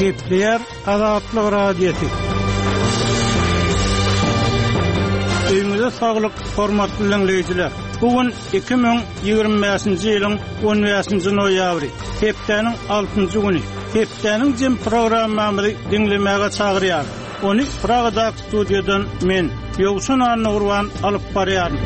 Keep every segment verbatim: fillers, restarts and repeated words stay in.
Gepleýär Azatlyk Radiosy. Öýüňize saglyk, hormatly dinleýjiler. Bu gün iki müň ýigrimi bäşinji ýylyň on bäşinji noýabry, hepdäniň altynjy güni. Hepdäniň jem programmamyzy diňlemäge çagyrýar. Ony Pragadaky studiýadan men, Ýowşan Annagurban alyp barýaryn.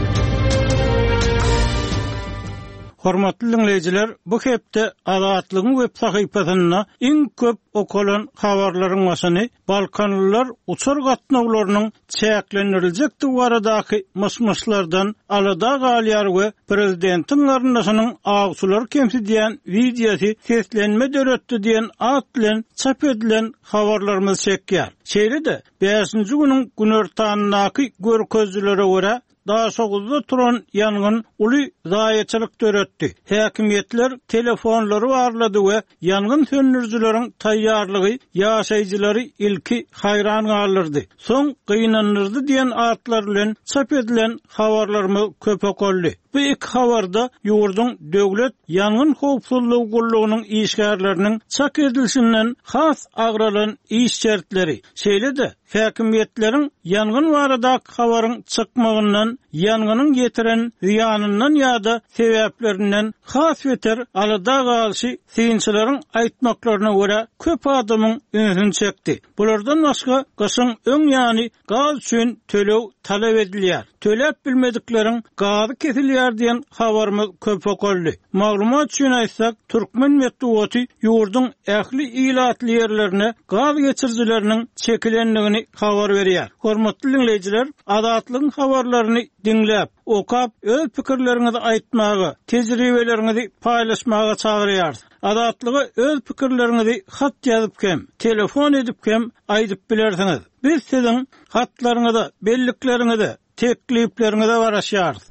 Hormatly dinleýjiler, bu hepde Azatlygyň web sahypasynda iň köp okalan habarlaryň başyny Balkanlylar uçar gatnawlarynyň çäklendiriljekdigi baradaky myş-myşlardan alada galýar we prezidentiň garyndaşynyň awçylary kemsidýän wideosy seslenme döretdi diýen at bilen çap edilen habarlarymyz çekýär. Şeýle-de bäşinji günüň günortandaky görkezijilere görä Daşoguzda turan ýangyn uly zaýaçylyk döretdi. Häkimiýetler telefonlary barlady we ýangyn söndürijileriň taýýarlygy ýaşaýjylary ilki haýran galdyrdy. Soň gynandyrdy diýen atlar bilen çap edilen habarlarymyz köp okaldy. Bu iki habarda ýurduň döwlet ýangyn howpsuzlygy gullugynyň işgärleriniň çak edilişinden has agralan iş şertleri, şeýle-de häkimiýetleriň ýangyn baradaky habaryň çykmagyndan, ýangynyň ýetiren zyýanyndan ýa-da sebäplerinden has beter alada galyşy synçylaryň aýtmaklaryna görä köp adamyň ünsüni çekdi. Bulardan başga gyşyň öň ýany gaz üçin töleg talap edilýär. Töläp bilmedikleriň gazy kesilýär diýen habarymyz köp okaldy. Maglumat üçin aýtsak, türkmen metbugaty ýurduň ähli ilatly ýerlerine gaz geçirijileriniň çekilendigini habar berýär. Hormatly dinleýjiler, Azatlygyň habarlaryny diňläp, okap, öz pikirleriňizi aýtmaga, tejribeleriňizi paýlaşmaga çagyrýarys. Azatlyga öz pikirleriňizi hat ýazyp hem, telefon edip hem aýdyp bilersiňiz. Biz siziň hatlaryňyza, bellikleriňize, teklipleriňize garaşýarys.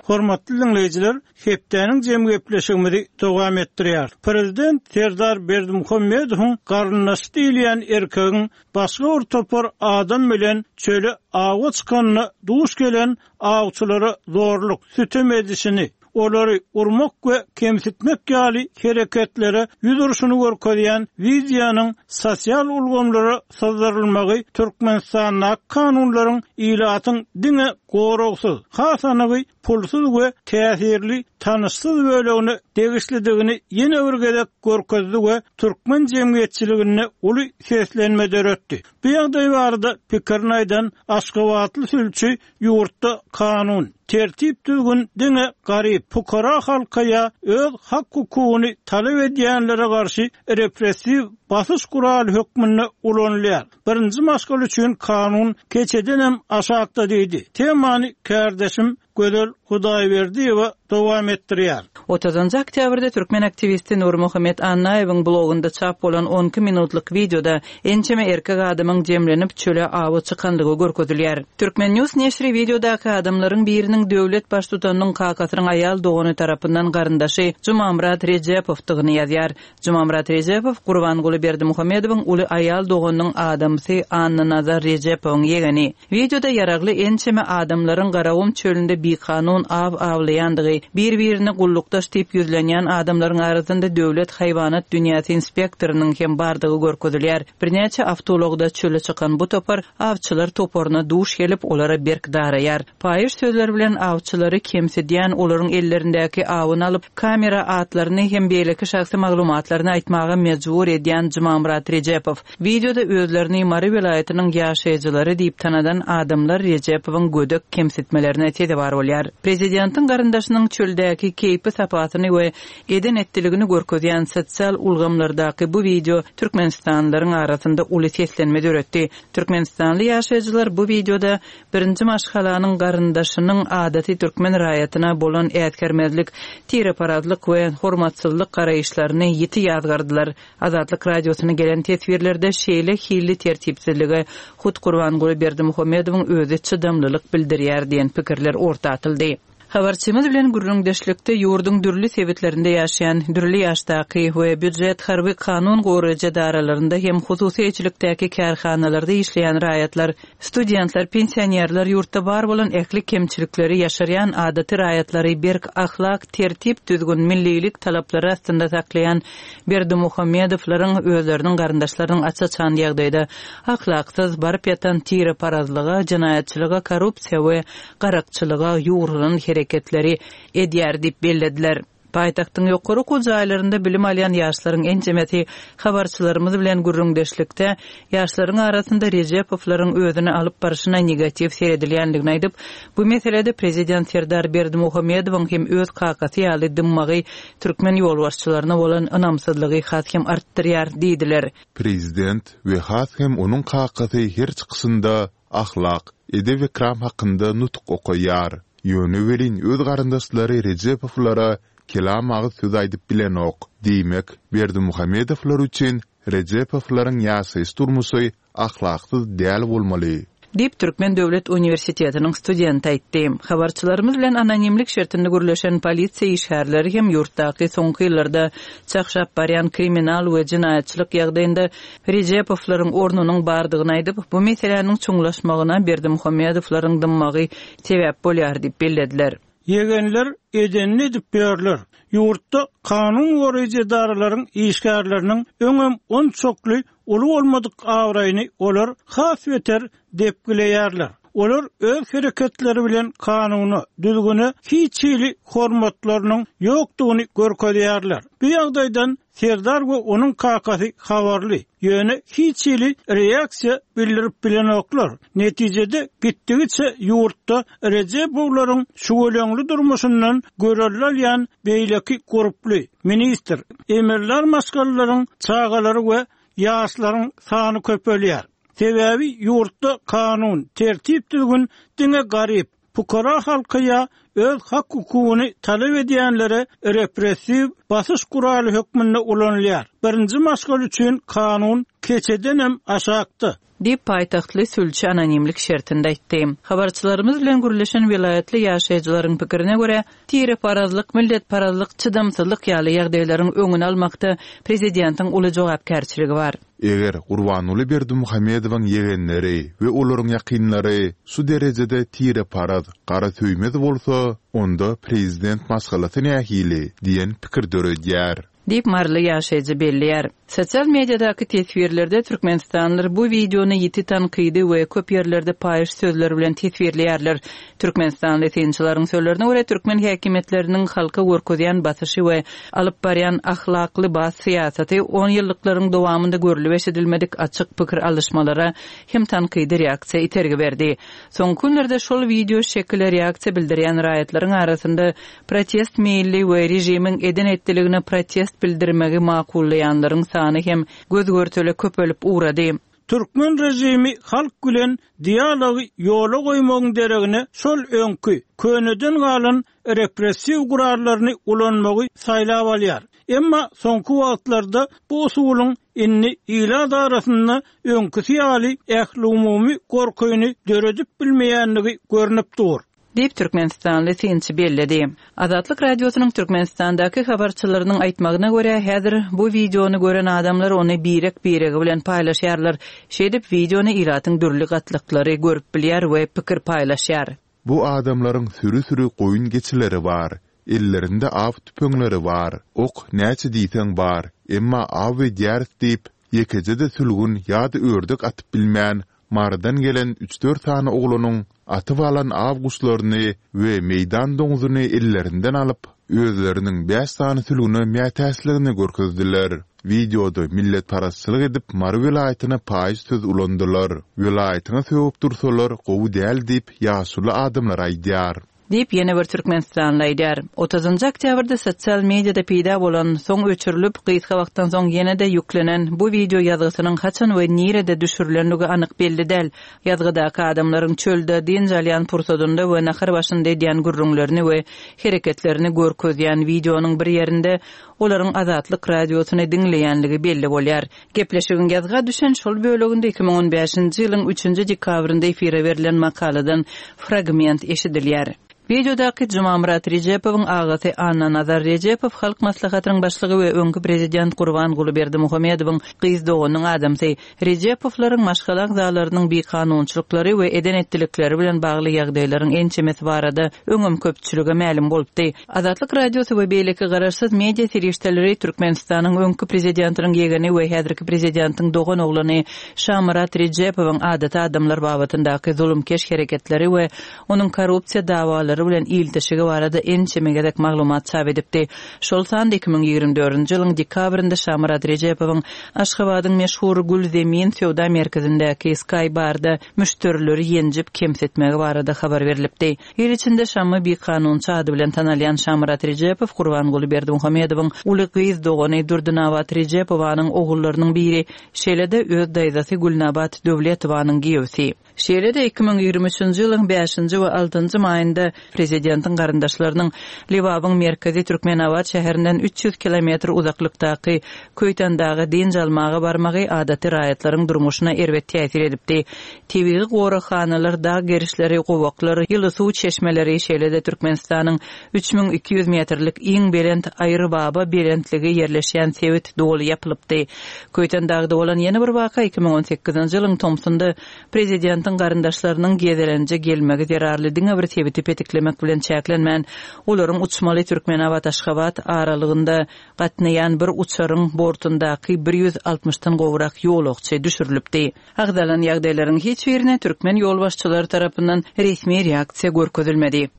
Hormatly dinleýjiler, hepdäniň jemgyýetleşigimizi dowam etdirýär. Prezident Serdar Berdimuhamedowyň garyndaşy diýilýän erkegiň başga bir topar adam bilen çöle awa çykanyna duş gelen awçylara zorluk, sütem edişini, olary urmak we kemsitmek ýaly hereketlere ýüz urşuny görkezýän wideonyň sosial ulgamlara syzdyrylmagy Türkmenistandaky kanunlaryň ilatyň diňe goragsyz, has anygy pulsuz we täsirli tanyşsyz bölegine degişlidigini ýene bir gezek görkezdi we türkmen jemgyýetçiliginde uly seslenme döretdi. Bu ýagdaý barada pikirini aýdan Aşgabatly sülçi ýurtda kanun, tertip düzgün diňe garyp, pukara halka ýa öz hak hukugyny talap edýänlere garşy repressiw basyş guraly hökmünde ulanylýar. Birinji maşgala üçin kanun keçedenem aşakda diýdi. Temany kardeşim Gözel Hudaýberdiýewa dowam etdirýär. Otuzynjy oktýabrda türkmen aktiwisti Nurmuhammet Annaýewiň blogunda çap bolan on iki minutlyk wideoda ençeme erkek adamyň jemlenip çöle awa çykanlygy görkezilýär. Türkmen News neşri wideodaky adamlaryň biriniň döwlet baştutanynyň kakasynyň aýal dogany tarapyndan garyndaşy Jumamyrat Rejepowdygyny ýazýar. Jumamyrat Rejepow Gurbanguly Berdimuhamedowyň uly aýal doganynyň adamsy Annanazar Rejepowyň ýegeni. Wideoda ýaragly ençeme adamlaryň Garagum çölünde bikanun aw awlaýandygy, bir-birine gullukdaş diýip ýüzlenýän adamlaryň arasynda döwlet haýwanat dünýäsi inspektorynyň hem bardygy görkezilýär. Birnäçe awtoulagda çöle çykan bu topar awçylar toparyna duş gelip, olara berk daraýar. Paýyş sözler bilen awçylary kemsidýän olaryň ellerindäki awyny alyp, kamera atlaryny hem beýleki şahsy maglumatlaryny aýtmaga mejbur edýän Jumamyrat Rejepow. Wideoda özlerini Mary welaýatynyň ýaşaýjylary diýip tanadan adamlar Rejepowyň gödek kemsitmelerine sezewar bolýar. Prezidentiň garyndaşynyň çöldäki keýpi sapasyny we eden etdiligini görkezýän sosial ulgamlardaky bu wideo Türkmenistanlylaryň arasynda uly seslenme döretdi. Türkmenistanly ýaşaýjylar bu wideoda birinji maşgalanyň garyndaşynyň adaty türkmen raýatyna bolan ätgermezlik, tireparazlyk we hormatsyzlyk garaýyşlaryny ýiti ýazgardylar. Azatlyk radiosyna gelen teswirlerde şeýle hilli tertipsizlige hut Gurbanguly Berdimuhamedowyň özi çydamlylyk bildirýär diýen pikirler orta atyldy. Habarçymyz bilen gürrüňdeşlikde ýurduň dürli sebitlerinde ýaşaýan dürli ýaşdaky we býujet harby kanun goraýjy edaralarynda hem hususy eýeçilikdäki kärhanalarda işleýän raýatlar, studentler, pensionerler ýurtda bar bolan ähli kemçilikleri ýaşarýan adaty raýatlary berk ahlak, tertip-düzgün, millilik talaplary astynda saklaýan Berdimuhamedowlaryň özleriniň garyndaşlarynyň aç-açan ýagdaýda ahlaksyz, baryp ýatan tireparazlyga, jenaýatçylyga, korrupsiýa we garakçylyga ýugrulan hereketleri edýär diýip bellediler. Paýtagtyň ýokary okuw jaýlarynda bilim alýan ýaşlaryň ençemesi habarçylarymyz bilen gürrüňdeşlikde ýaşlaryň arasynda Rejepowlaryň özüni alyp barşyna negatiw seredilýändigini aýdyp, bu meselede prezident Serdar Berdimuhamedowyň hem öz kakasy ýaly dymmagy türkmen ýolbaşçylaryna bolan ynamsyzlygy has hem artdyrýar diýdiler. Prezident we has hem onuň kakasy her çykyşynda ahlak, edep-ekram hakynda nutuk okaýar. Ýöne welin öz garyndaşlary Rejepowlara kelam agyz söz aýdyp bilenok. Diýmek, Berdimuhamedowlar üçin Rejepowlaryň ýaşaýyş-durmuşy ahlaksyz däl bolmaly. Diýip, Türkmen döwlet uniwersitetiniň studenti aýtdy. Habarçylarymyz bilen anonimlik şertinde gürleşen polisiýa işgärleri hem ýurtdaky soňky ýyllarda çagşap barýan kriminal we jenaýatçylyk ýagdaýynda Rejepowlaryň ornunyň bardygyny aýdyp, bu meseläniň çuňlaşmagyna Berdimuhamedowlaryň dymmagy sebäp bolýar diýip bellediler. Ýegenler edenini edip ýörler. Ýurtda kanun goraýjy edaralaryň işgärleriniň öňem onçakly uly bolmadyk abraýyny olar has beter depgileýärler. Olar öz hereketleri bilen kanuna, düzgüne hiç hili hormatlarynyň ýokdugyny görkezýärler. Bu ýagdaýdan Serdar we onuň kakasy habarly, ýöne hiç hili reaksiýa bildirip bilenoklar. Netijede gitdigiçe ýurtda Rejepowlaryň şüweleňli durmuşyndan görelde alýan beýleki gurply, ministr, emirler maşgalalaryň çagalary we ýaşlaryň sany köpelýär. Sebäbi ýurtda kanun, tertip-düzgün diňe garyp, pukara halka ýa öz hak-hukugyny talap edýänlere repressiw basyş guraly hökmünde ulanylýar. Birinji maşgala üçin kanun keçedenem aşakda. Diýip, paýtagtly sülçi anonimlik şertinde aýtdy. Habarçylarymyz bilen gürleşen welaýatly ýaşaýjylaryň pikirine görä, tireparazlyk, milletparazlyk, çydamsyzlyk ýaly ýagdaýlaryň öňüni almakda prezidentiň uly jogapkärçiligi bar. Eger Gurbanguly Berdimuhamedowyň ýegenleri we olaryň ýakynlary şu derejede tireparaz, garasöýmez bolsa, onda prezident maşgalasy nähili diýen pikir döredýär. Diýip, maryly ýaşaýjy belleýär. Sosial mediadaky teswirlerde türkmenistanlylar bu wideony ýiti tankydy we köp ýerlerde paýyş sözler bilen teswirleýärler. Türkmenistanly synçylaryň sözlerine görä, türkmen häkimiýetleriniň halka görkezýän basyşy we alyp barýan ahlakly bas syýasaty on ýyllyklaryň dowamynda görlüp eşidilmedik açyk pikir alyşmalara hem tankydy reaksiýa itergi berdi. Soňky günlerde şol wideo şekile reaksiýa bildirýän raýatlaryň arasynda protest meýilli we režimiň eden-etdiligine protest bildirmegi makullaýanlaryň sany hem göz-görtele köpelip ugrady. Türkmen režimi halk bilen dialogy ýola goýmagyň deregine şol öňki, köneden galan repressiw gurallaryny ulanmagy saýlap alýar. Emma soňky wagtlarda bu usulyň indi ilat arasynda öňküsi ýaly ählumumy gorkyny döredip bilmeýändigi görnüp dur. Diýip, türkmenistanly synçy belledi. Azatlyk Radiosynyň Türkmenistandaky habarçylarynyň aýtmagyna görä, häzir bu wideony gören adamlar ony birek-biregi bilen paýlaşýarlar. Şeýdip, wideony ilatyň dürli gatlaklary görüp bilýär we pikir paýlaşýar. Bu adamlaryň süri-süri goýun-geçileri bar. Ellerinde aw tüpeňleri bar. Ok näçe diýseň bar, emma aw edýäris diýip, ýekeje-de sülgün ýa-da ördek atyp bilmän, Marydan gelen üç-dört sany oglanyň atyp alan aw guşlaryny we meýdan doňzuny ellerinden alyp, özleriniň bäş sany sülgüne mätäçligini görkezdiler. Wideoda milletparazçylyk edip Mary welaýatyna paýyş söz ulandylar. Welaýatyňa sögüp dursalar gowy däl diýip ýaşuly adamlar aýdýar. Diýip, ýene bir türkmenistanly aýdýar. Otuzynjy oktýabrda sosial mediada peýda bolan, soň öçürilip, gysga wagtdan soň ýene-de ýüklenen bu wideo ýazgysynyň haçan we nirede düşürilendigi anyk belli däl. Ýazgydaky adamlaryň çölde dynç alýan pursadynda we nahar başynda edýän gürrüňlerini we hereketlerini görkezýän wideonyň bir ýerinde olaryň Azatlyk Radiosyny diňleýänligi belli bolýar. Gepleşigiň ýazga düşen şol böleginde iki müň on bäşinji ýylyň üçünji dekabrynda efire berlen makaladan fragment eşidilýär. Wideodaky Jumamyrat Rejepowyň agasy Annanazar Rejepow Halk Maslahatynyň başlygy we öňki prezident Gurbanguly Berdimuhamedowyň gyz doganynyň adamsy. Rejepowlaryň maşgala agzalarynyň bikanunçylyklary we eden-etdilikleri bilen bagly ýagdaýlaryň ençemesi barada öňem köpçülige mälim bolupdy. Azatlyk Radiosy we beýleki garaşsyz media serişdeleri Türkmenistanyň öňki prezidentiniň ýegeni we häzirki prezidentiň dogan oglany Şamyrat Rejepowyň adaty adamlar babatyndaky zulumkeş hereketleri we onuň korrupsiýa dawalary bilen ilteşigi barada ençeme gezek maglumat çap edipdi. Şol sanda iki müň ýigrimi dördünji ýylyň dekabrynda Şamyrat Rejepowyň Aşgabadyň meşhur Gülzemin söwda merkezindäki Sky Barda müşderileri ýenjip kemsitmegi barada habar berlipdi. Il içinde Şammy bikanunçy ady bilen tanalýan Şamyrat Rejepow Gurbanguly Berdimuhamedowyň uly gyz dogany Durdynabat Rejepowanyň ogullarynyň biri, şeýle-de öz daýzasy Gülnabat Döwletowanyň giýewsi. Şeýle-de iki müň ýigrimi üçünji ýylyň bäşinji we altynjy maýynda prezidentiň garyndaşlarynyň Lebabyň merkezi Türkmenabat şäherinden üç ýüz kilometr uzaklykdaky Köýtendaga dynç almaga barmagy adaty raýatlaryň durmuşyna erbet täsir edipdi. Tebigy goraghanalar, dag gerişleri, gowaklar, ýyly suw çeşmeleri, şeýle-de Türkmenistanyň üç müň iki ýüz metrlik iň belent Aýrybaba belentligi ýerleşýän sebit doly ýapylypdy. Köýtendagda bolan ýene bir waka iki müň on sekizinji ýylyň tomsunda prezidentiň garyndaşlarynyň gezelenje gelmegi zerarly diňe bir sebiti petiklemek bilen çäklenmän, olaryň uçmaly Türkmenabat-Aşgabat aralygynda gatnaýan bir uçaryň bortundaky bir ýüz altmyşdan gowrak ýolagçy düşürilipdi. Agzalan ýagdaýlaryň hiç birine türkmen ýolbaşçylary tarapyndan resmi reaksiýa görkezilmedi.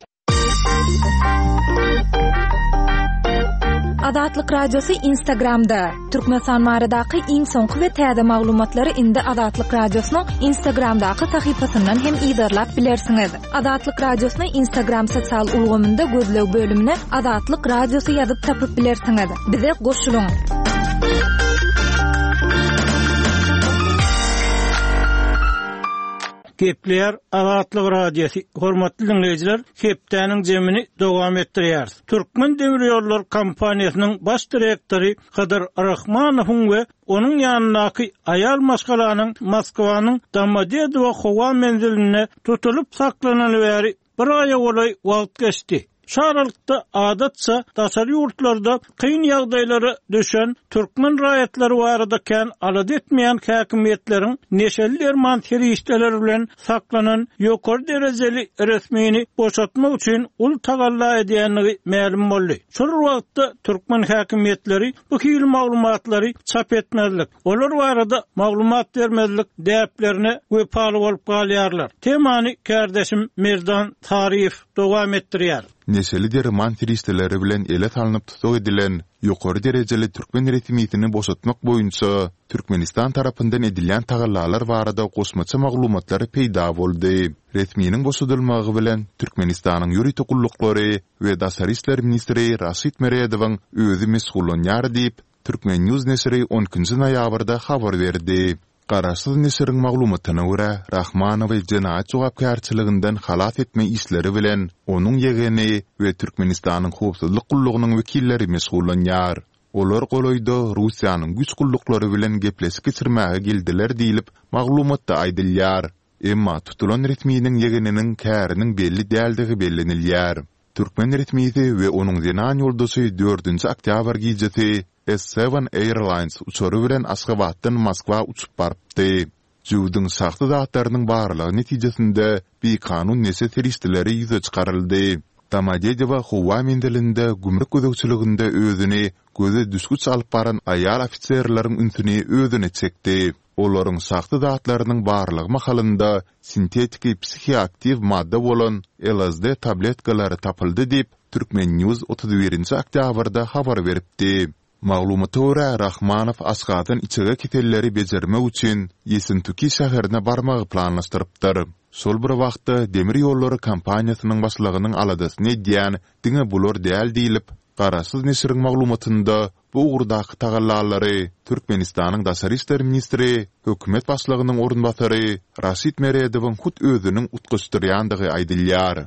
Azatlyk Radiosy Instagramda. Türkmenistan baradaky iň soňky we täze maglumatlary indi Azatlyk Radiosynyň Instagramdaky sahypasyndan hem yzarlap bilersiňiz. Azatlyk Radiosyny Instagram sosial ulgamynda gözleg bölümine Azatlyk Radiosy ýazyp tapyp bilersiňiz. Bize goşulyň. Gepleýär Azatlyk Radiosy. Hormatly dinleýjiler, hepdäniň jemini dowam etdirýäris. Türkmen Demir Ýollar kompaniýasynyň baş direktory Hydyr Rahmanowyň we onuň ýanyndaky aýal maşgalanyň Moskwanyň Domodedowo howa menzilinde tutulyp saklanyly bäri bir aýa golaý wagt geçdi. Şu aralykda adatça daşary ýurtlarda kyn ýagdaýlara düşen türkmen raýatlary barada kän alada etmeýän häkimiýetleriň neşeli derman serişdeleri bilen saklanan ýokary derejeli resmini boşatmak üçin uly tagalla edýänligi mälim boldy. Şol wagtda türkmen häkimiýetleri bu hil maglumatlary çap etmezlik, olar barada maglumat bermezlik däplerine wepaly bolup galýarlar. Temany kardeşim Merdan Taryýew dowam etdirýär. Neşeli derman serişdeleri bilen ele salnyp tutuk edilen ýokary derejeli türkmen resmisini boşatmak boýunça Türkmenistan tarapyndan edilýän tagallalar barada goşmaça maglumatlar peýda boldy. Resminiň boşadylmagy bilen Türkmenistanyň ýörite gulluklary we Daşary işler ministri Raşid Meredowyň özi meşgullanýar diýip, Türkmen News neşiri on ikinji noýabrda habar berdi. Garaşsyz neşiriň maglumatyna görä, Rahmanowy jenaýat jogapkärçiliginden halas etme işleri bilen onuň ýegeni we Türkmenistanyň howpsuzlyk gullugynyň wekilleri meşgullanýar. Olar golaýda Russiýanyň güýç gulluklary bilen gepleşik geçirmäge geldiler diýlip maglumatda aýdylýar. Emma tutulan resminiň ýegeniniň käriniň belli däldigi bellenilýär. Türkmen resmisi we onuň zenan ýoldaşy dördünji oktýabr gijesi S seven Airlines uçary bilen Aşgabatdan Moskwa uçup barypdy. Jüwdiň şahsy zatlarynyň barlygy netijesinde bikanun neşe serişdeleri ýüze çykaryldy. Domodedowo howa menzilinde gümrük gözegçiliginde özüni göze düşgüç alyp baran aýal ofiserleriň ünsüni özüne çekdi. Olaryň şahsy zatlarynyň barlygy mahalynda sintetiki psihoaktiw madda bolan L S D tabletkalary tapyldy diýip, Türkmen News otuz birinji oktýabrda habar beripdi. Maglumata görä, Rahmanow Aşgabatdan içege keselleri bejermek üçin Ýesentuki şäherine barmagy planlaşdyrypdyr. Şol bir wagtda Demir Ýollary kompaniýasynyň başlygynyň aladasyny edýän diňe bular däl diýlip, Garaşsyz neşiriň maglumatynda bu ugurdaky tagallalary Türkmenistanyň Daşary işler ministri, hökümet başlygynyň orunbasary Raşid Meredowyň hut özüniň utgaşdyrýandygy aýdylýar.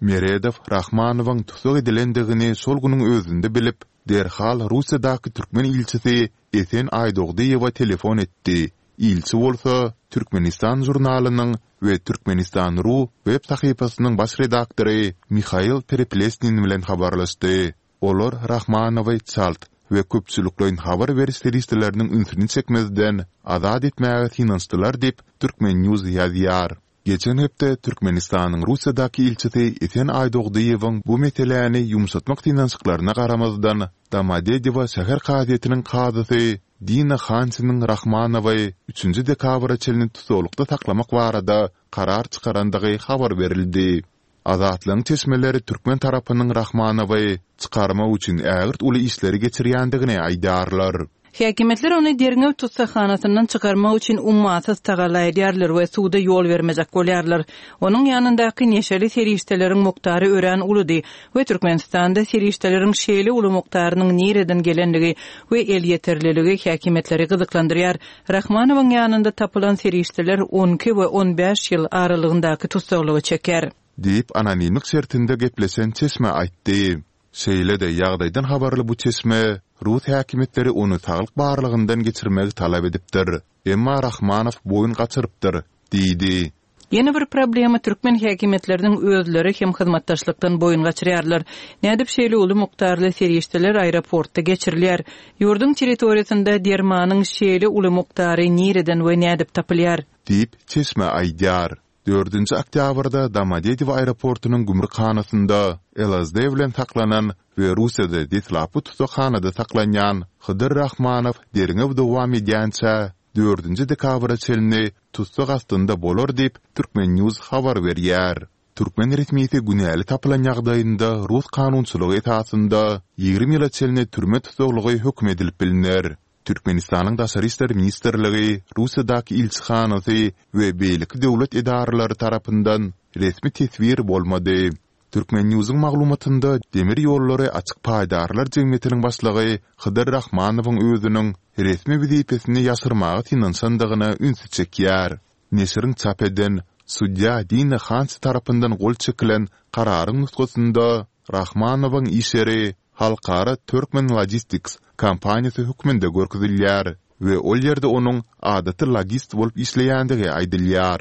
Meredow Rahmanowyň tussag edilendigini şol günüň özünde bilip, derhal Russiýadaky türkmen ilçisi Esen Aýdogdyýewa telefon etdi Ilçi bolsa Türkmenistan žurnalynyň we Türkmenistan. Ru web sahypasynyň baş redaktory Mihail Pereplesnin bilen habarlaşdy. Olar Rahmanowy çalt we köpçülikleýin habar beriş serişdeleriniň ünsüni çekmezden azat etmäge synanyşdylar diýip, Turkmen. News ýazýar. Geçen hepde Türkmenistanyň Russiýadaky ilçisi Esen Aýdogdyýewiň bu meseläni ýumşatmak synanyşyklaryna garamazdan, Domodedowo şäher kazyýetiniň kazysy Dina Hansiniň Rahmanowy üçünji dekabra çenli tussaglykda saklamak barada karar çykarandygy habar berildi. Azatlygyň çeşmeleri türkmen tarapynyň Rahmanowy çykarmak üçin ägirt uly işleri geçirýändigini aýdýarlar. Häkimiýetler ony derňew tussaghanasyndan çykarmak üçin ummasyz tagalla edýärler we suda ýol bermejek bolýarlar. Onuň ýanyndaky neşeli serişdeleriň mukdary örän uludy we Türkmenistanda serişdeleriň şeýle uly mukdarynyň nireden gelenligi we elýeterliligi häkimiýetleri gyzyklandyrýar. Rahmanowyň ýanynda tapylan serişdeler on iki we on bäş ýyl aralygyndaky tussaglygy çeker. Diýip, anonimlik şertinde gepleşen çeşme aýtdy. Şeýle-de ýagdaýdan habarly bu çeşme rus häkimiýetleri ony saglyk barlagyndan geçirmegi talap edipdir. Emma Rahmanow boýun gaçyrypdyr, diýdi. Ýene bir problema türkmen häkimiýetleriniň özleri hem hyzmatdaşlykdan boýun gaçyrýarlar. Nädip şeýle uly mukdarly serişdeler aeroportda geçirilýär? Ýurduň territoriýasynda dermanyň şeýle uly mukdary nireden we nädip tapylýar? Diýip, çeşme aýdýar. Dördünji oktýabrda Domodedowo aeroportunyň gümrükhanasynda L S D bilen saklanan we Russiýada deslapky tussaghanada saklanýan Hydyr Rahmanow derňew dowam edýänçä dördünji dekabra çenli tussag astynda bolar diýip, Turkmen News habar berýär. Türkmen resmisi günäli tapylan ýagdaýynda rus kanunçylygy esasynda ýigrimi ýyla çenli türme tussaglygy höküm edilip bilner. Türkmenistanyň Daşary işler ministrligi, Russiýadaky ilçihanasy we beýleki döwlet edaralary tarapyndan resmi teswir bolmady. Turkmen News'yň maglumatynda demir ýollary açyk paýdarlar jemgyýetiniň başlygy Hydyr Rahmanowyň özüniň resmi wezipesini ýaşyrmaga synanyşandygyna ünsi çekýär. Neşiriň çap eden sudýa Dina Hansi tarapyndan gol çekilen kararyň nusgasynda Rahmanowyň iş ýeri Halkara Turkmen Logistics kompaniýasy hökmünde görkezilýär we ol ýerde onuň adaty logist bolup işleýändigi aýdylýar.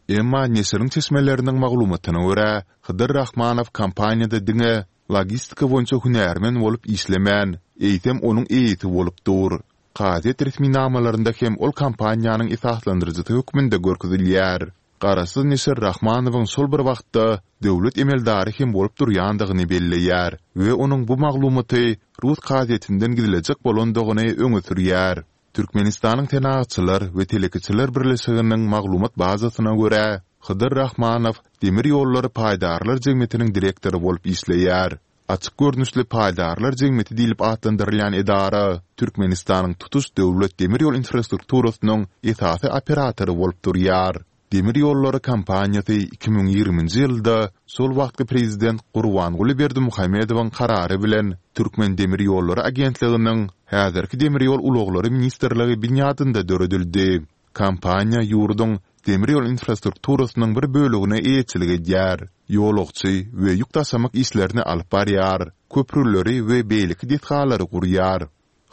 Emma neşiriň çeşmeleriniň maglumatyna görä, Hydyr Rahmanow kompaniýada diňe logistika boýunça hünärmen bolup işlemän, eýsem onuň eýesi bolup dur. Kazyýet resminamalarynda hem ol kompaniýanyň esaslandyryjysy hökmünde görkezilýär. Garaşsyz neşir Rahmanowyň şol bir wagtda döwlet emeldary hem bolup durýandygyny belleýär we onuň bu maglumaty rus kazyýetinden gizlejek bolandygyny öňe sürýär. Türkmenistanyň Senagatçylar we Telekeçiler birleşiginiň maglumat bazasyna görä, Hydyr Rahmanow demir ýollary paýdarlar jemgyýetiniň direktory bolup işleýär. Açyk görnüşli paýdarlar jemgyýeti diýlip atlandyrylýan edara Türkmenistanyň tutuş döwlet demir ýol infrastrukturasynyň esasy operatory bolup durýar. Demir ýollary kompaniýasy iki müň ýigriminji ýylda şol wagtky prezident Gurbanguly Berdimuhamedowyň karary bilen Türkmen demir ýollary agentliginiň häzirki demir ýol ulaglary ministrligi binýadynda döredildi. Kompaniýa ýurduň demir ýol infrastrukturasynyň bir bölegine eýeçilik edýär. Ýolagçy we ýük daşamak işlerini alyp barýar, köprüleri we beýleki desgalary gurýar.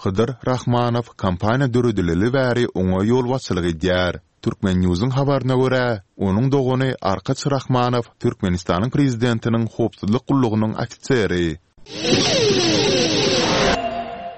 Hydyr Rahmanow kompaniýa döredileli bäri oňa ýolbaşçylyk edýär. Turkmen News'yň habaryna görä, onuň dogany Arkaç Rahmanow Türkmenistanyň prezidentiniň howpsuzlyk gullugynyň ofiseri.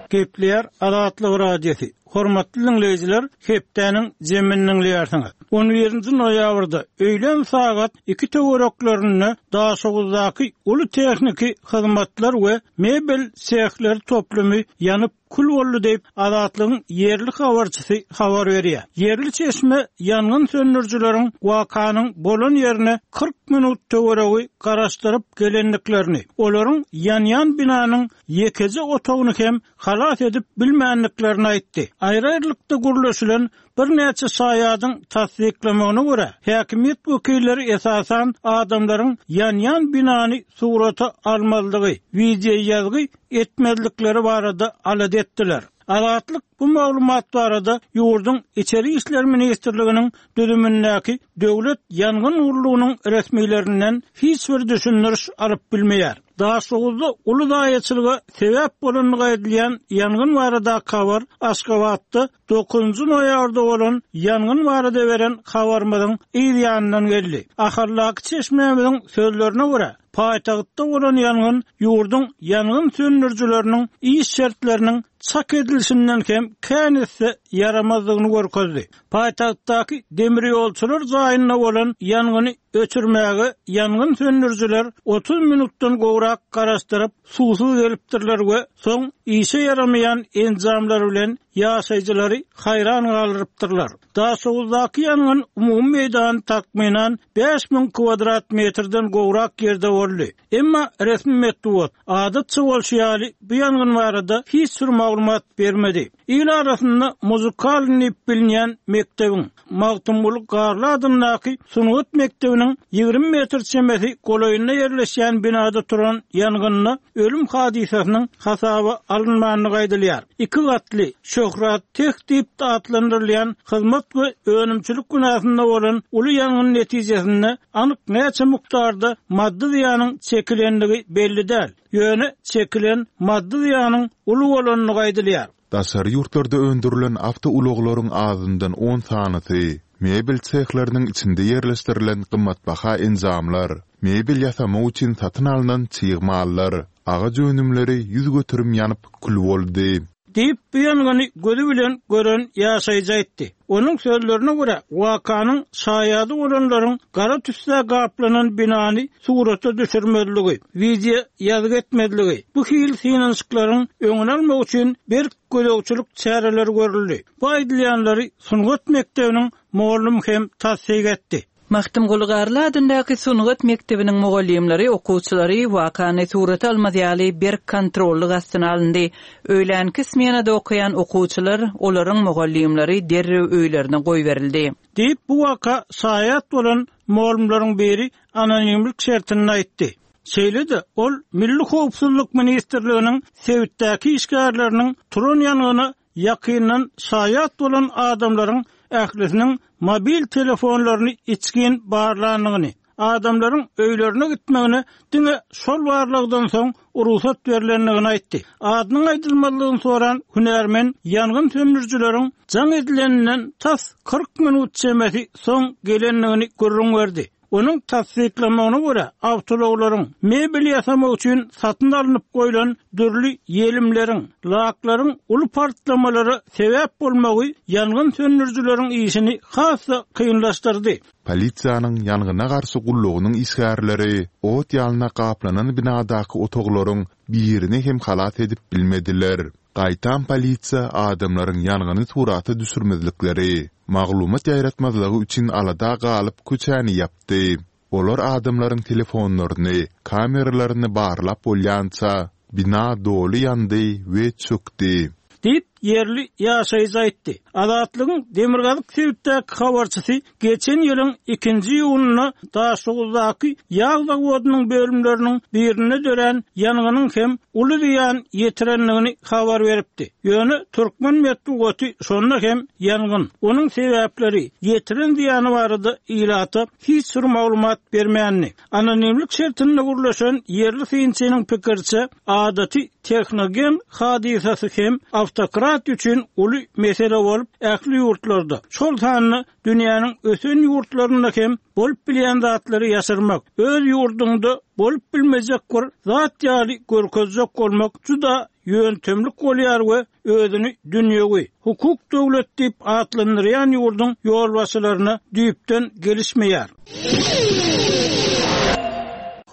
Gepleýär Azatlyk Radiosy. Hormatly dinleýjiler, hepdäniň zemini dinleýärsiňiz. on birinji noýabrda öýlän sagat iki töwereklerinde Daşoguzdaky uly tehniki hyzmatlar we mebel sehleri toplumy ýanyp kül boldy diýip Azatlygyň ýerli habarçysy habar berýär. Ýerli çeşme ýangyn söndürijileriň wakanyň bolan ýerine kyrk minut töweregi garaşdyryp gelendiklerini, olaryň ýanýan binanyň ýekeje otagyny hem halas edip bilmänliklerini aýtdy. Aýry-aýrylykda gurluşylan birnäçe şaýadyň tassyklamagyna görä, häkimiýet wekilleri esasan adamlaryň ýanýan binany surata almalydygy, wideo ýazgy etmezlikleri barada alada etdiler. Azatlyk bu maglumat barada ýurduň Içeri işler ministrliginiň düzümindäki Döwlet ýangyn gullugynyň resmilerinden hiç bir düşündiriş alyp bilmeýär. Daşoguzda uly zaýaçylyga sebäp bolandygy aýdylýan ýangyn baradaky habar Aşgabatda dokuzynjy noýabrda bolan ýangyn barada beren habarymyzyň yz ýanyndan geldi. Ahaldaky çeşmämiziň sözlerine görä, paýtagtda bolan ýangyn ýurduň ýangyn söndürijileriniň iş şertleriniň çak edilişinden hem kän esse ýaramazdygyny görkezdi. Paýtagtdaky demir ýolçular jaýynda bolan ýangyny öçürmäge ýangyn söndürijiler otuz minutdan gowrak garaşdyryp, suwsuz gelipdirler we soň işe ýaramaýan enjamlar bilen ýaşaýjylary haýran galdyrypdyrlar. Daşoguzdaky ýangyn umumy meýdany takmynan bäş müň kvadrat metrden gowrak ýerde boldy. Emma resmi metbugat adatça bolşy ýaly bu ýangyn barada hiç bir maglumat bermedi. Il arasynda muzikal diýip bilinýän mekdebiň Magtymguly Garly adyndaky sungat mekdebiniň ýigrimi metr çemesi golaýynda ýerleşýän binada turan ýangynda ölüm hadysasynyň hasaba alynmandygy aýdylýar. Iki gatly Şöhrat Teh diýip atlandyrylýan hyzmat we önümçilik binasynda bolan uly ýangyn netijesinde anyk näçe mukdarda maddy zyýanyň çekilendigi belli däl. Ýöne çekilen maddy zyýanyň uly bolandygy aýdylýar. Daşary ýurtlarda öndürilen awtoulaglaryň azyndan on sanysy, mebel sehleriniň içinde ýerleşdirilen gymmatbaha enjamlar, mebel ýasamak üçin satyn alnan çig mallar, agaç önümleri ýüz göterim ýanyp kül boldy. Diýip, bu ýangyny gözi bilen gören ýaşaýjy aýtdy. Onuň sözlerine görä, wakanyň şaýady bolanlaryň gara tüsse gaplanan binany surata düşürmezligi, wideo ýazgy etmezligi, bu hil synanyşyklaryň öňüni almak üçin berk gözegçilik çäreleri görüldi. Bu aýdylýanlary sungat mekdebiniň mugallym hem tassyk etdi. Magtymguly Garly adyndaky sungat mekdebiniň mugallymlary okuwçylary wakany surata almaz ýaly berk kontrollyk astyna alyndy. Öýlänki smenada okaýan okuwçylar, olaryň mugallymlary derrew öýlerine goýberildi. Diýip, bu waka şaýat bolan mugallymlaryň biri anonimlik şertinde aýtdy. Şeýle-de ol Milli Howpsuzlyk Ministrliginiň sebitdäki işgärleriniň turan ýangyna ýakyndan şaýat bolan adamlaryň ählisiniň mobil telefonlaryny içgin barlandygyny, adamlaryň öýlerine gitmegine diňe şol barlykdan soň ruhsat berlendigini aýtdy. Adynyň aýdylmazlygyny soran hünärmen ýangyn söndürijileriň jaň edileninden tas kyrk minut çemesi soň gelendigini gürrüň berdi. Onuň tassyklamagyna görä, awtoulaglaryň mebel ýasamak üçin satyn alnyp goýlan dürli ýelimleriň, laklaryň uly partlamalara sebäp bolmagy ýangyn söndürijileriň işini has-da kynlaşdyrdy. Polisiýanyň ýangyna garşy gullugynyň işgärleri ot ýalyna gaplanan binadaky otaglaryň birini hem halas edip bilmediler. Gaýtam polisiýa adamlaryň ýangyny surata düşürmezlikleri, maglumat ýaýratmazlygy üçin alada galyp köçäni ýapdy. Olar adamlaryň telefonlaryny, kameralaryny barlap bolýança bina doly ýandy we çökdi. Diýip, ýerli ýaşaýjy aýtdy. Azatlygyň Demirgazyk sebitdäki habarçysy geçen ýylyň ikinji iýunynda Daşoguzdaky ýag zawodynyň bölümleriniň birinde dörän ýangynyň hem uly zyýan ýetirendigini habar beripdi. Ýöne türkmen metbugaty şonda hem ýangyn, onuň sebäpleri, ýetiren zyýany barada ilata hiç bir maglumat bermändi. Anonimlik şertinde gurlaşan ýerli synçynyň pikirçe, adaty tehnogen hadysasy hem awtokrat üçin uly mesele bolup, ähli ýurtlarda, şol sanda dünýäniň ösen ýurtlarynda hem bolup bilýän zatlary ýaşyrmak, öz ýurdunda bolup bilmejek bir zat ýaly görkezjek bolmak juda ýöntemlik bolýar we özüni dünýewi hukuk döwlet diýip atlandyrýan ýurduň ýolbaşçylaryna düýpden gelişmeýär.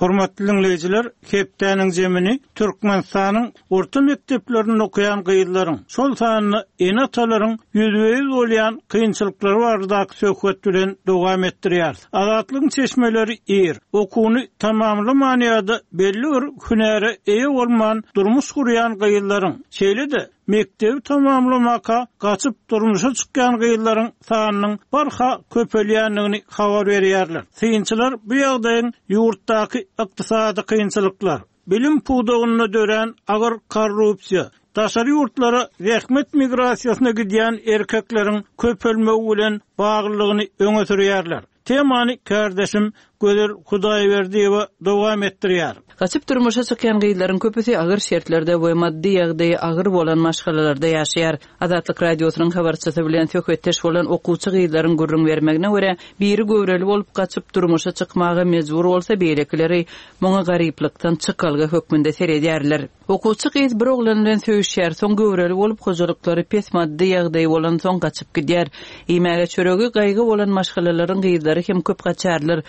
Hormatly dinleýjiler, hepdäniň zemini Türkmenistanyň orta mekdeplerinde okaýan gyzlaryň, şol sanda ene-atalaryň ýüzbe-ýüz bolýan kynçylyklary baradaky söhbet bilen dowam etdirýär. Azatlygyň çeşmeleri ir, okuwyny tamamlaman ýa-da belli bir hünäre eýe bolman durmuş gurýan gyzlaryň, şeýle-de mekdebi tamamlamaka gaçyp durmuşa çykýan gyzlaryň sanynyň barha köpelýändigini habar berýärler. Synçylar bu ýagdaýyň ýurtdaky ykdysady kynçylyklar, bilim pudagynda dörän agyr korrupsiýa, daşary ýurtlara zähmet migrasiýasyna gidýän erkekleriň köpelmegi bilen baglylygyny öňe sürýärler. Temany kardeşim Gözel Hudaýberdiýewa dowam etdirýär. Gaçyp durmuşa çykýan gyzlaryň köpüsi agyr şertlerde we maddy ýagdaýy agyr bolan maşgalalarda ýaşaýar. Azatlyk radiosynyň habarçysy bilen söhbetdeş bolan okuwçy gyzlaryň gürrüň bermegine görä, biri göwreli bolup gaçyp durmuşa çykmaga mejbur bolsa, beýlekileri muňa garyplykdan çykalga hökmünde seredýärler. Okuwçy gyz bir oglan bilen söýüşýär, soň göwreli bolup hojalyklary pes maddy ýagdaýy bolan soň gaçyp gidýär. Iýmäge çöregi gaýgy bolan maşgalalaryň gyzlary hem köp gaçarlar.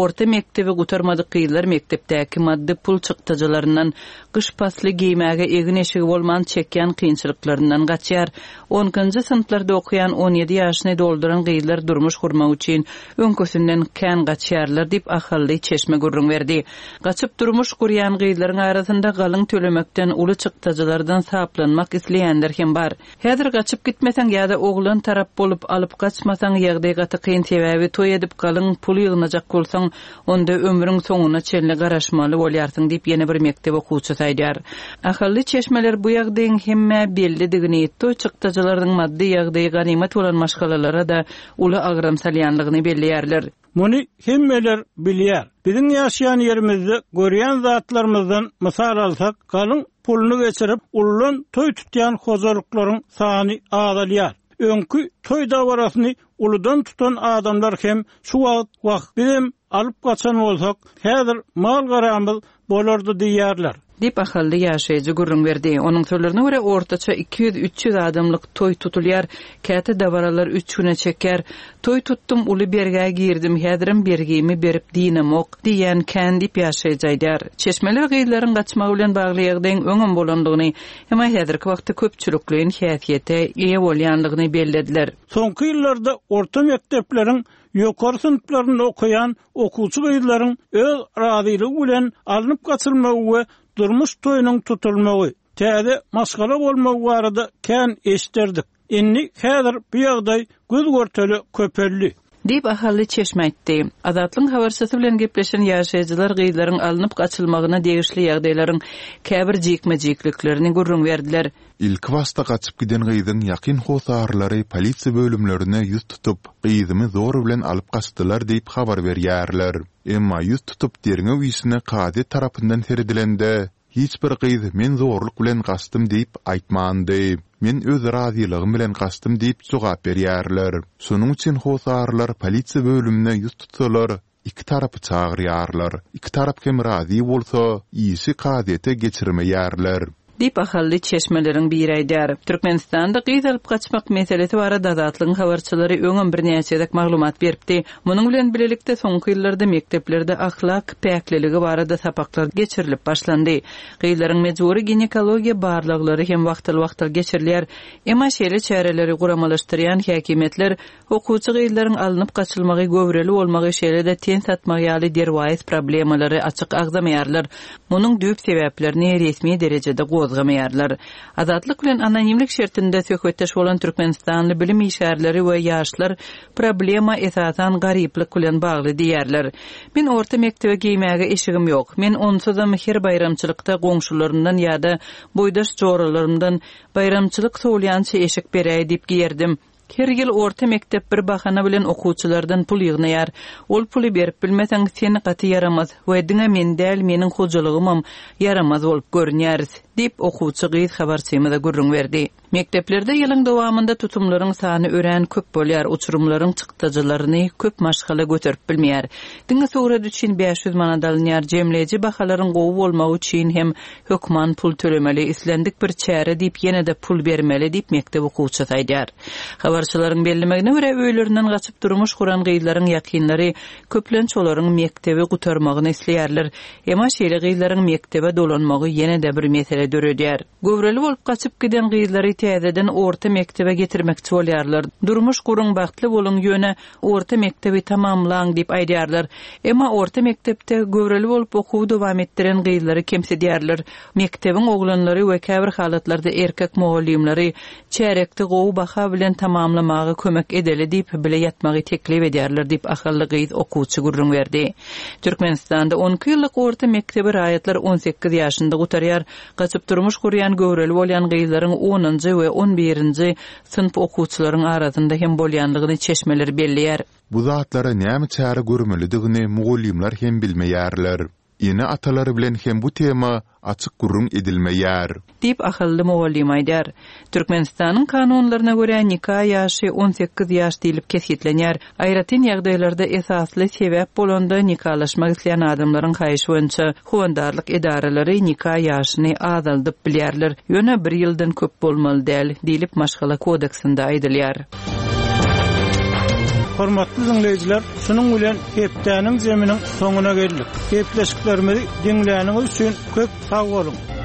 Orta mekdebi gutarmadyk gyzlar mekdepdäki maddy pul çykdajylaryndan, gyş pasly geýmäge egin eşigi bolman çekýän kynçylyklaryndan gaçýar. Onkinji synplarda okuýan on ýedi ýaşyny dolduran gyzlar durmuş gurmak üçin öňküsinden kän gaçýarlar diýip ahally çeşme gürrüň berdi. Gaçyp durmuş gurýan gyzlaryň arasynda galyň tölemekden uly çykdajylardan saplanmak isleýänler hem bar. Häzir gaçyp gitmeseň ýa-da oglan tarap bolup alyp gaçmasaň ýagdaý gaty kyn, sebäbi toý edip galyň pul ýygnajak bolsaň, onda ömrüň soňuna çenli garaşmaly bolýarsyň diýip ýene bir mekdep okuwçysy aýdýar. Ahally çeşmeler bu ýagdaýyň hemme bellidigini, toý çykdajylarynyň maddy ýagdaýy ganymat bolan maşgalalara da uly agram salýanlygyny belleýärler. Muny hemmeler bilýär. Biziň ýaşaýan ýerimizde görýän zatlarymyzdan mysal alsak, galyň puluny geçirip, ullan toý tutýan hojalyklaryň sany azalýar. Öňkü toý dabarasyny uludan tutan adamlar hem şu wagt wah bizem alyp gaçan bolsak, häzir mal garamyz bolardy diýýärler. Diýip ahally ýaşaýjy gürrüň berdi. Onuň sözlerine görä ortaça iki ýüz üç ýüz adamlyk toý tutulýar. Käte dabaralar üç güne çeker. Toý tutdum, uly bergä girdim, häzirem bergimi berip diýnemok diýen kän diýip ýaşaýjy aýdar. Çeşmeler gyzlaryň gaçmagy bilen bagly ýagdaýyň öňem bolandygyny, emma häzirki wagtda köpçülikleýin häsiýete eýe bolýandygyny bellediler. Soňky ýyllarda orta mekdepleriň ýokary synplarynda okaýan okuwçy gyzlaryň öz razylygy bilen alnyp gaçylmagy we durmuş toýunyň tutulmagy, täze maşgala bolmagy barada kän eşderdik. Indi häzir bu ýagdaý göz görteli köpeldi. Diýip ahally çeşme aýtdy. Azatlygyň habarçysy bilen gepleşen ýaşaýjylar gyzlaryň alnyp gaçylmagyna degişli ýagdaýlaryň käbir jikme-jikliklerini gürrüň berdiler. Ilki başda gaçyp giden gyzyň ýakyn hosarlary polisiýa bölümlerine ýüz tutup, gyzymy zor bilen alyp gaçdylar diýip habar berýärler. Emma ýüz tutup derňew işine kazyýet tarapyndan seredilende, hiç bir gyz men zorluk bilen gaçdym diýip aýtmandy. Men öz razylygym bilen gaçdym diýip jogap berýärler. Şonuň üçin hosarlar polisiýa bölümine ýüz tutsalar, iki tarapy çagyrýarlar. Iki tarap hem razy bolsa, işi kazyýete geçirmeýärler. Diýip ahally çeşmeleriň biri aýdar. Türkmenistanda gyz alyp gaçmak meselesi barada Azatlygyň habarçylary öňem bir näçe gezek maglumat beripdi. Munuň bilen bilelikde soňky ýyllarda mekdeplerde ahlak päkliligi barada sapaklar geçirilip başlandy. Gyzlaryň mejbury ginekologiýa barlaglary hem wagtal-wagtal geçirilýär. Emma şeýle çäreleri guramalaşdyrýan häkimiýetler okuwçy gyzlaryň alnyp gaçylmagy, göwreli bolmagy, şeýle-de ten satmagy ýaly derwaýys problemalary açyk agzamaýarlar. Munuň düýp sebäplerini resmi derejede gozgamaýarlar. Azatlyk bilen anonimlik şertinde söhbetdeş bolan Türkmenistanly bilim işgärleri we ýaşlar problema esasan garyplyk bilen bagly diýerler. Men orta mekdebe geýmäge eşigim ýok. Men onsuzam her baýramçylykda goňşularymdan ýa-da boýdaş joralarymdan baýramçylyk sowulýança eşik beräý diýip giýerdim. Her ýyl orta mekdep bir bahana bilen okuwçylardan pul ýygnaýar. Ol puly berip bilmeseň sen gaty ýaramaz we diňe men däl, meniň hojalygymam ýaramaz bolup görünýäris diýip okuwçy gyz habarçymyza gürrüň berdi. Mekdeplerde ýylyň dowamynda tutumlaryň sany örän köp bolýar, uçurymlaryň çykdajylaryny köp maşgala göterip bilmeýär. Diňe surat üçin bäş ýüz manat alynýar, jemleýji bahalaryň gowy bolmagy üçin hem hökman pul tölemeli, islendik bir çäre diýip ýene-de pul bermeli diýip mekdep okuwçysy aýdýar. Habarçylaryň bellemegine görä öýlerinden gaçyp durmuş guran gyzlaryň ýakynlary köplenç olaryň mekdebi gutarmagyny isleýärler. Emma şeýle gyzlaryň mekdebe dolanmagy ýene-de bir mesele döredýär. Göwreli bolup gaçyp giden gyzlary täzeden orta mekdebe getirmekçi bolýarlar. Durmuş guruň bagtly boluň ýöne orta mekdebi tamamlaň diýip aýdýarlar. Emma orta mekdepde göwreli bolup okuwy dowam etdiren gyzlary kemsidýärler. Mekdebiň oglanlary we käbir halatlarda erkek mugallymlary çärekde gowy baha bilen tamamlamaga kömek edeli diýip bile ýatmagy teklip edýärler diýip ahally gyz okuwçy gürrüň berdi. Türkmenistanda on iki ýyllyk orta mekdebi raýatlar on sekiz ýaşynda gutarýar. Gaçyp Nikalaşyp durmuş gurýan göwreli bolýan gyzlaryň onunjy we on birinji synp okuwçylaryň arasynda hem bolýanlygyny çeşmeler belleýär. Bu zatlara näme çäre görmelidigini mugallymlar hem bilmeýärler. Ene-atalar bilen hem bu tema açyk gürrüň edilmeýär. Diýip, ahally mugallym aýdýar. Türkmenistanyň kanunlaryna görä, nika ýaşy on sekiz ýaş diýlip kesgitlenýär. Aýratyn ýagdaýlarda esasly sebäp bolanda nikalaşmak isleýän adamlaryň haýyşy boýunça howandarlyk edaralary nika ýaşyny azaldyp bilýärler. Ýöne bir ýyldan köp bolmaly däl diýlip maşgala kodeksinde aýdylýar. Hormatly dinleýjiler, şunuň bilen hepdäniň zeminiň soňuna geldik. Gepleşiklerimizi diňläniňiz üçin köp sag boluň.